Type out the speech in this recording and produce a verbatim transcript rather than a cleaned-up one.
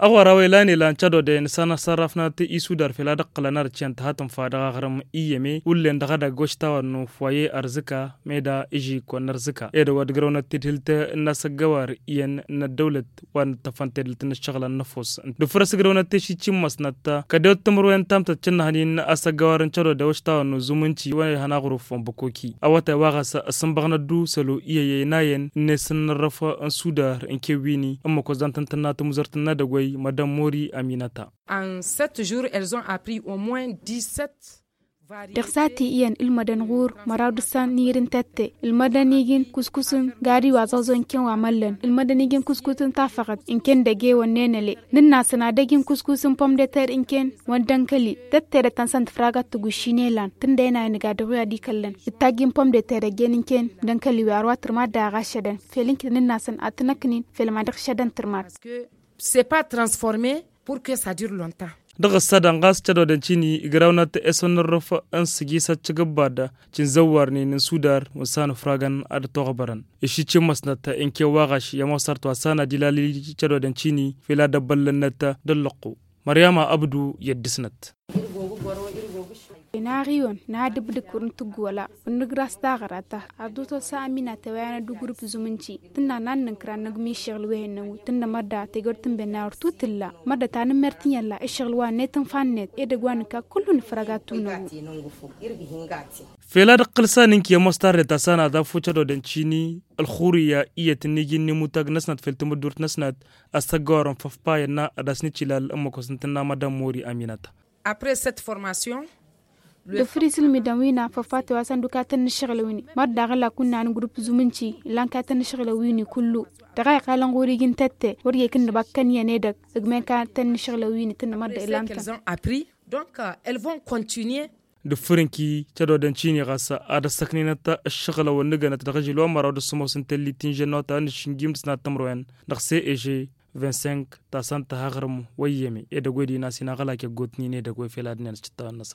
Ăɣora wa ilan ilan cădodăyăn s-anăsărrăfnăt isudar fel ad-ǝqqǝlăn arăt ciyăn tăhatăn fa dăɣ-aɣrǝm iyyăme ullen dăɣ-edăgg wăštawăn n-ufoye ărzǝka meda ižik wăn ărzǝka edăgg wa d-grăwnăt tidhǝlt n-asăggăwar iyyăn n-ăddăwlăt wa n-ǝṭṭăfăn tedhǝlt n-ǝššăɣǝlăn n-ăfos. D-ǝfrăs grăwnăt teši cimmasnăt kădewăt timǝrwen tamtăt cǝnnăhăn-in asăggăwar n-cădodăy wăštawăn n-uzǝmǝnci wa ihăn aɣrǝf wa n-băkoki awătay wa ɣas ăsǝnbăɣnăt d-usălo iyyăy ăynayăn n-esǝnnărrăf n-sudar n-kewwini ǝmmǝk wa s-dantăn tǝnna tǝmuzărt n-edăgg wa i-madam mori aminăta. En sept jours elles ont appris au moins dix-sept. Dăɣ-sati iyyăn ǝlmădăn ɣur-măraw d-ǝssan n-ir n-tătte ǝlmădăn ijin kuskus n-gari wa zăɣẓo n-ken wa măllăn ǝlmădăn ijin kuskus n-tafăɣăt n-ken dăgg-e-wănnen ăle. Nǝnn'-asăn ad-ăjin kuskus n-pom de ter n-ken wa n-dănkăli tătte dăr-tăn săn tǝfragat tăgušši n-elan tǝndăyăn a inǝga dăɣ-wi ad-ikăllăn ǝttajjin pom de ter ăjjeen n-ken dănkăli wi ar wa tǝrmad daɣ a šădăn fel n-kit nǝnn'-asăn ad-tăn-ăknin fel ma dăɣ-šădăn tǝrmad. C'est pas transformé pour que ça dure longtemps. Dăɣ-ǝssadăn ɣas cădodăn cini igrawnăt esănnărrăf n-sǝjisăt cǝgǝbbad cinzăwwarnen n-sudar wa n-sanăfragăn ad-ătoɣbărăn išicimăsnăt inkewaɣaš i-ămoosărt wa s-anad-ilalǝl cădodăn cini fel ad-ăbbăllănnăt d-ăllăqqu. Măryama ăbdu i-ăddisnăt. Inaɣ-iwăn n-ad-ǝbdǝk wăr n-tǝggǝwăla wăr nǝgra s-taɣăra ta. Ad-dd-oto s-a ămminatăw i-anăddu gurǝp zumǝnci tǝnna n-ad-nǝnkra n-ăgg miššăɣǝl wi hennămu tǝnna mădda tegăwt tǝnbănna wăr t-tǝlla mădda ta n-ǝmmer tǝnyălla ǝššăɣǝl wa n-net n-fannet edăgg wa nǝkka kullu nǝfrăga tunăgu. Fel ad-ǝqqǝl s-anǝnki i-ămoos tarret ta s-anad affu cădodăn cini ălxurǝyya iyyăt ǝnniji n-imutag-năsnăt fel tamǝddurt-năsnăt. Ăssăggăwărăn făfpayăn n-ad-asnǝcilal ǝmmǝk wa s-ǝntǝnna madam mori aminăt. Après cette formation, dăɣ-făr isǝlmǝdăn wi n-afăfate wa s-ăndu katăn n-ašăɣǝlăn wi n-măr daɣ ǝla kunna n-grup zumǝnci ǝllan katăn n-ašăɣǝlăn wi n-kullu. Dăɣ-a iqqalăn ɣur-iji n-tătte wăr jekăn nǝbăkkăn iyyăn edăgg ǝgmen katăn n-ašăɣǝlăn wi n-tǝnnă măr dăɣ-ilan-tăn. Donc elles vont continuer. Dăɣ-făr ǝnki cădodăn cini ɣas ad-ăssăknenăt ǝššăɣǝlăn wăr nǝgănăt dăɣ-ažil wa n-măraw d-ăssumos n-tellit n-žănnota n-ašǝnjim d-sănat tămrăwen dăɣ-ceg. Vingt-cinq ta s-ănta haɣrǝm wa iyyăme edăgg wa i-dina s-inaɣălak i-ăggootnen edăgg wa i-fel ad-ǝnnăn s-cǝttawăn-năsăn.